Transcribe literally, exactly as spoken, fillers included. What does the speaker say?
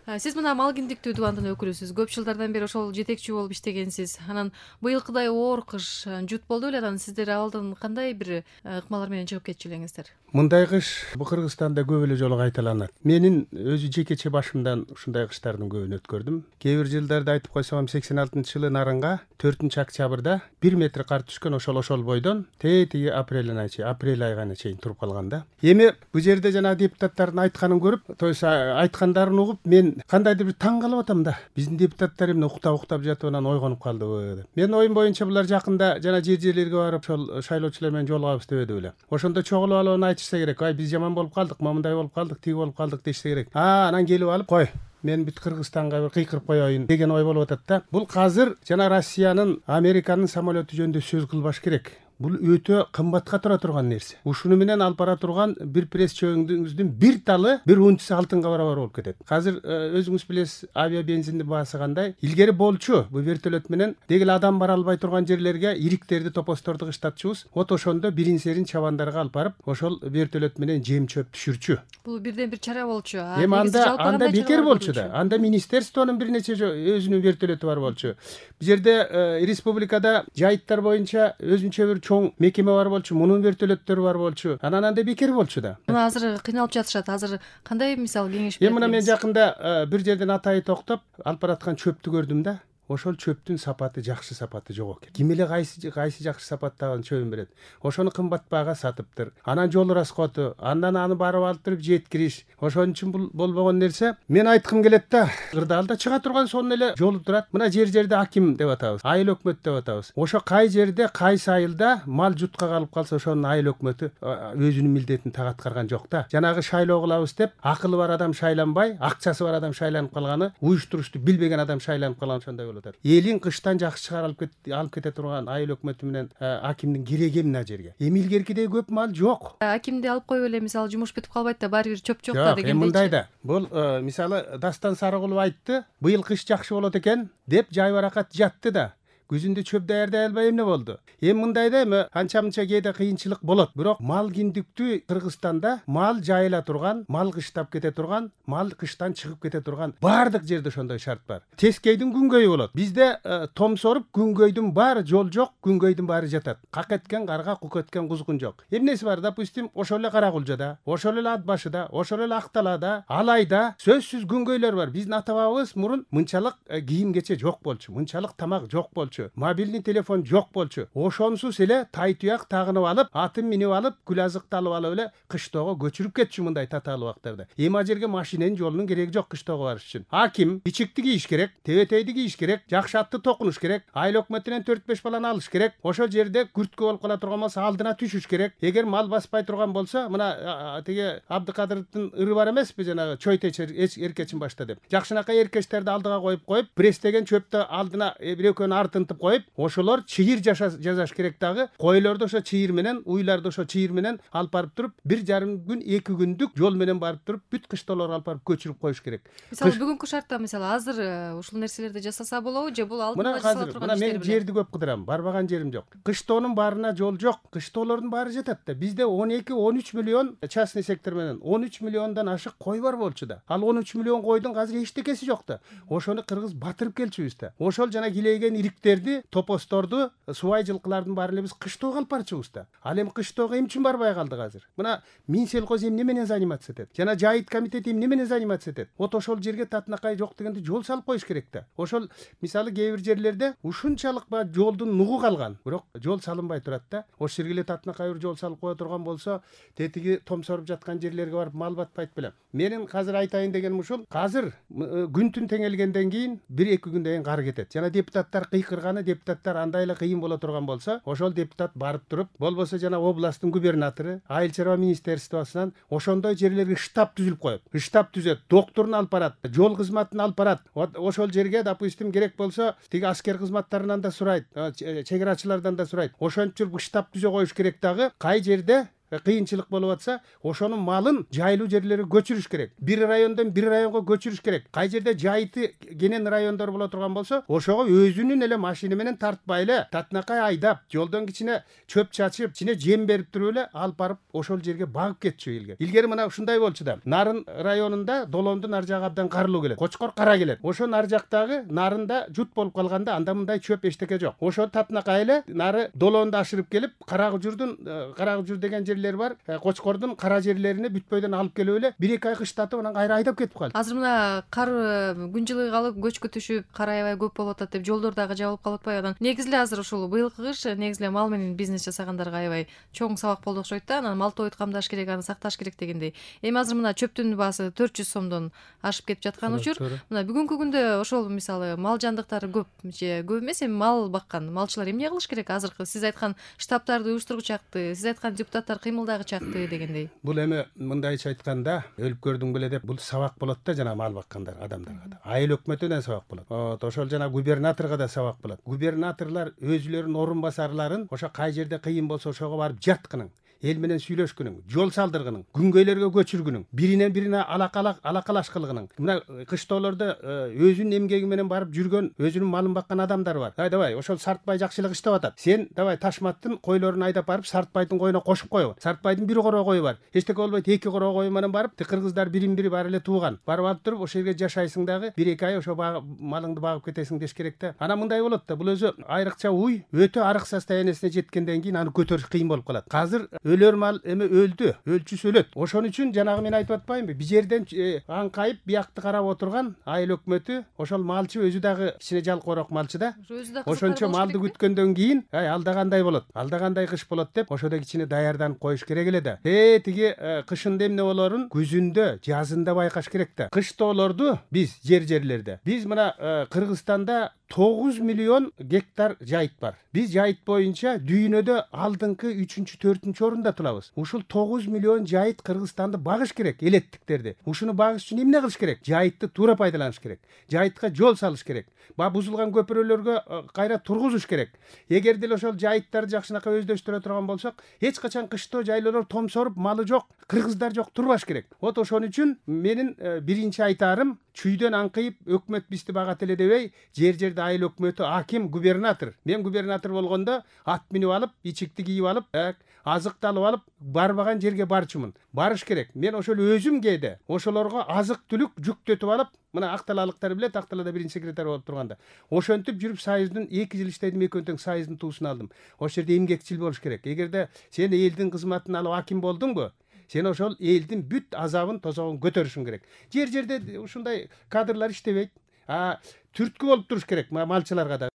Сиз мына мал киндиктүү дубандын өкүлүсүз. Көп жылдардан бери ошол жетекчи болуп иштегенсиз. Анан быйылкыдай оор кыш жут болду беле, анан сиздер абалдан кандай бир ыкмалар менен чыгып кетчү элеңиздер? Мындай кыш бу Кыргызстанда көп эле жолу кайталанат. Менин өзү жекече башымдан ушундай кыштардын көбүн өткөрдүм. Кээ бир жылдарда айтып койсом сексен алтынчы жылы Нарынга төртүнчү октябрда бир метр кар түшкөн, ошол ошол бойдон тетиги апрель айына чейин, апрель айына чейин туруп калган да. Эми бу жерде жана депутаттардын айтканын көрүп, то есть айткандарын угуп, мен кандайдыр бир таң калып атам да. Биздин депутаттар эмне уктап уктап жатып анан ойгонуп калдыбы деп. Менин оюм боюнча булар жакында жана жер жерлерге барып ошол шайлоочулар менен жолугабыз деп беле. Ошондо чогулуп алып аны айтышса керек. Ай, биз жаман болуп калдык, мындай болуп калдык, тиги болуп калдык дешсе керек. А, анан келип алып, кой, мен бүт Кыргызстанга бир кыйкырып коеюн деген ой болуп атат да. Бул азыр жана Россиянын, Американын самолету жөнүндө сөз кылбаш керек. Бул өтө кымбатка тура турган нерсе. Ушуну менен алып бара турган бир пресс чөгүңүздүн бир талы бир унчасы алтынга барабар болуп кетет. Азыр өзүңүз билесиз, авиа бензиндин баасы кандай. Илгери болчу бу вертолет менен дегеле адам бара албай турган жерлерге ириктерди, топосторду кыштатчубуз. Вот ошондо бирин серин чабандарга алып барып, ошол вертолет менен жем чөп түшүрчү. Бул бирден бир чара болчу. Эми анда анда бекер болчу да. Анда министерствонун бир нече өзүнүн вертолету бар болчу. Бу жерде республикада жайыттар боюнча өзүнчө бир чоң мекеме бар болчу, мунун вертолеттери бар болчу. Анан анда бекер болчу да. Мына азыр кыйналып жатышат. Азыр кандай мисал кеңеш берет? Эми мына мен жакында бир жерден атайы токтоп алып бараткан чөптү көрдүм да. Ошол чөптүн сапаты жакшы сапаты жок экен. Ким эле кайсы кайсы жакшы сапаттаган чөбүн берет. Ошону кымбат баага сатыптыр. Анан жол расходу, андан аны барып алып туруп жеткириш. Ошон үчүн бул болбогон нерсе. Мен айткым келет да, кырдаалда чыга турган сонун эле жолу турат. Мына жер жерде аким деп атабыз, айыл өкмөт деп атабыз. Ошо кай жерде, кайсы айылда мал жутка калып калса, ошонун айыл өкмөтү өзүнүн милдетин так аткарган жок да. Жанагы шайлоо кылабыз деп, акылы бар адам шайланбай, акчасы бар адам шайланып калганы, уюштурушту билбеген адам шайланып калган, ошондой. Элин кыштан жакшы чыгарып кет алып кете турган айыл өкмөтү менен акимдин кереги эмне жерге? Эми илгеркидей көп мал жок. Акимди алып коюп эле мисалы жумуш бүтүп калбайт да, баары бир чөп жок да дегендей. Эми мындай да. Бул мисалы Дастан Сарыгулов айтты, быйыл кыш жакшы болот экен деп жайбаракат жатты да. Күзүндө чөп даярдай албай эмне болду? Эми мындай да, эми анча-мынча кээде кыйынчылык болот. Бирок мал киндиктүү Кыргызстанда мал жайыла турган, мал кыштап кете турган, мал кыштан чыгып кете турган баардык жерде ошондой шарт бар. Тескейдин күнгөйү болот. Бизде том соруп күнгөйдүн баары жол жок, күнгөйдүн баары жатат. Как эткен карга, кук эткен кузгун жок. Эмнеси бар? Допустим, ошол эле Каракулжада, ошол эле Ат башыда, ошол эле Акталада, Алайда сөзсүз күнгөйлөр бар. Биздин ата бабабыз мурун мынчалык кийим кече жок болчу, мынчалык тамак жок болчу. Мобильный телефон жок болчу. Ошонсуз эле тайтуяк тагынып алып, атын минип алып, күл азыкты алып алып эле кыштоого көчүрүп кетчү мындай татаалуу убактарда. Эми ал жерге машиненин жолунун кереги жок кыштоого барыш үчүн. Аким ичикти кийиш керек, тебетейди кийиш керек, жакшы атты токунуш керек, айыл өкмөтүнөн төрт беш баланы алыш керек. Ошол жерде күрткө болуп кала турган болсо алдына түшүш керек. Эгер мал баспай турган болсо, мына тиги Абдыкадыровдун ыры бар эмеспи, жанагы чойтеч эркечин башта деп. Жакшынакай эркечтерди алдыга коюп коюп, пресстеген чөптү алдына бир экөөнү артын коюп, ошолор чыйыр жасаш керек дагы. Койлорду ошо чыйыр менен, уйларды ошо чыйыр менен алып барып туруп, бир жарым күн, эки күндүк жол менен барып туруп, бүт кыштоолорду алып барып көчүрүп коюш керек. Мисалы бүгүнкү шартта мисалы азыр ушул нерселерди жасаса болобу же бул алдын ала жасала турган иштер беле? Мен жерди көп кыдырам, барбаган жерим жок. Кыштоонун баарына жол жок, кыштоолордун баары жатат да. Бизде он эки он үч миллион частный сектор менен он үч миллиондон ашык кой бар болчу да. Ал он үч миллион койдун азыр эчтекеси жок да. Ошону кыргыз батырып келчүбүз да. Ошол жана килейген ириктерди, топосторду, субай жылкылардын баарын эле биз кыштоого алып барчубуз да. Ал эми кыштоого эмне үчүн барбай калдык азыр? Мына Минсельхоз эмне менен заниматься этет? Жана жайыт комитети эмне менен заниматься этет? Вот ошол жерге татынакай жок дегенде жол салып коюш керек да. Ошол мисалы кээ бир жерлерде ушунчалык ба жолдун нугу калган, бирок жол салынбай турат да. Ошол жерге эле татынакай бир жол салып кое турган болсо, тетиги том соруп жаткан жерлерге барып мал батпайт белем. Менин азыр айтайын дегеним ушул. Азыр күн түн теңелгенден кийин бир эки күндөн кийин кар кетет. Жана депутаттар кыйкырганы, депутаттар андай эле кыйын боло турган болсо, ошол депутат барып туруп, болбосо жана областтын губернатору, айыл чарба министерствосунан ошондой жерлерге штаб түзүлүп коет. Штаб түзөт, докторун алып барат, жол кызматын алып барат. Ошол жерге, допустим, керек болсо, тиги аскер кызматтарынан да сурайт, чек арачылардан да сурайт. Ошентип штаб түзө коюш керек дагы. Кай жерде кыйынчылык болуп атса, ошонун малын жайлуу жерлерге көчүрүш керек. Бир райондон бир районго көчүрүш керек. Кай жерде жайыты кенен райондор боло турган болсо, ошого өзүнүн эле машина менен тартпай эле татынакай айдап, жолдон кичине чөп чачып, кичине жем берип туруп эле алып барып ошол жерге багып кетчү илгери. Илгери мына ушундай болчу да. Нарын районунда Долондун ар жагы абдан карлуу келет. Кочкор кара келет. Ошо нар жактагы нарында жут болуп калганда анда мындай чөп эчтеке жок. Ошо татынакай эле нары Долоонду ашырып келип, Карагыжурдун Карагыжур деген жерлер бар. Кочкордун кара жерлерине бүтпөйдөн алып келип эле бир эки ай кыштатып анан кайра айдап кетип калды. Азыр мына кар күн жылы калып көчкү түшүп, кар аябай көп болуп атат деп жолдор дагы жабылып калып атпайбы? Анан негизи эле азыр ушул быйылкы кыш негизи эле мал менен бизнес жасагандарга аябай чоң сабак болду окшойт да. Анан мал-тоойду камдаш керек, аны сакташ керек дегендей. Эми азыр мына чөптүн баасы төрт жүз сомдон ашып кетип жаткан учур. Мына бүгүнкү күндө ошол мисалы мал жандыктары көп же көп эмес, эми мал баккан малчылар эмне кылыш керек? Азыркы сиз айткан штабтарды уюштургучакты, сиз айткан депутаттар кыймылдагычакты дегендей. Бул эми мындайча айтканда, өлүп көрдүң беле деп бул сабак болот да жана мал баккандар адамдарга да. Айыл өкмөтүнөн сабак болот. Вот ошол жана губернаторго да сабак болот. Губернаторлар өзүлөрүнүн орун басарларын ошо кай жерде кыйын болсо ошого барып жаткынын, эл менен сүйлөшкүнүң, жол салдыргынын, күнгөйлөргө көчүргүнүң, биринен бирине алакалак алакалаш кылгынын. Мына кыштоолордо өзүнүн эмгеги менен барып жүргөн, өзүнүн малын баккан адамдар бар. Ай давай, ошол Сартбай жакшылык иштеп атат. Сен давай Ташматтын койлорун айдап барып Сартбайдын коюна кошуп койгу. Сартбайдын бир короо кою бар. Эчтеке болбойт, эки короо кою менен барып, кыргыздар бирин бири баары эле тууган. Барып алып туруп ошол жерге жашайсың дагы, бир эки ай ошо малыңды багып кетесиң деш керек да. Анан мындай болот да, бул өзү айрыкча уй өтө арык состояниясине жеткенден кийин аны көтөрүш кыйын болуп калат. Азыр өлөр мал эми өлдү, өлчүсү өлөт. Ошон үчүн жанагы мен айтып атпаймынбы? Бир жерден аңкайып биякты карап отурган айыл өкмөтү, ошол малчы өзү дагы кичине жалкоорок малчы да. Ошончо малды күткөндөн кийин, ай алда кандай болот? Алда кандай кыш болот деп ошодо кичине даярданып коюш керек эле да. Э тиги кышында эмне болорун күзүндө, жазында байкаш керек да. Кыштоолорду биз жер-жерлерде, биз мына Кыргызстанда тогуз миллион гектар жайыт бар. Биз жайыт боюнча дүйнөдө алдыңкы үчүнчү, төртүнчү орунда турабыз. Ушул тогуз миллион жайыт Кыргызстанды багыш керек, элеттиктерди. Ушуну багыш үчүн эмне кылыш керек? Жайытты туура пайдаланыш керек. Жайытка жол салыш керек. Ба бузулган көпүрөлөргө кайра тургузуш керек. Эгер деле ошол жайыттарды жакшынакай өздөштүрө турган болсок, эч качан кыштоо жайлоолор томсоруп, малы жок, кыргыздар жок турбаш керек. Вот ошон үчүн менин биринчи айтаарым, чүйдөн аңкыйып өкмөт бизди багат эле дебей, жер-жерде айыл өкмөтү, аким, губернатор. Мен губернатор болгондо ат минип алып, ичикти кийип алып, азыкты алып алып, барбаган жерге барчумун. Барыш керек. Мен ошол өзүм кээде ошолорго азык-түлүк жүктөтүп алып, мына Акталалыктар билет, Акталада биринчи секретарь болуп турганда. Ошентип жүрүп Союздун эки жыл иштедим, экөөтөң Союздун туусун алдым. Ошол жерде эмгекчил болуш керек. Эгерде сен элдин кызматын алып аким болдуңбу, сен ошол элдин бүт азабын, тозогун көтөрүшүң керек. Жер-жерде ушундай кадрлар иштебейт. А түрткү болуп туруш керек малчыларга да.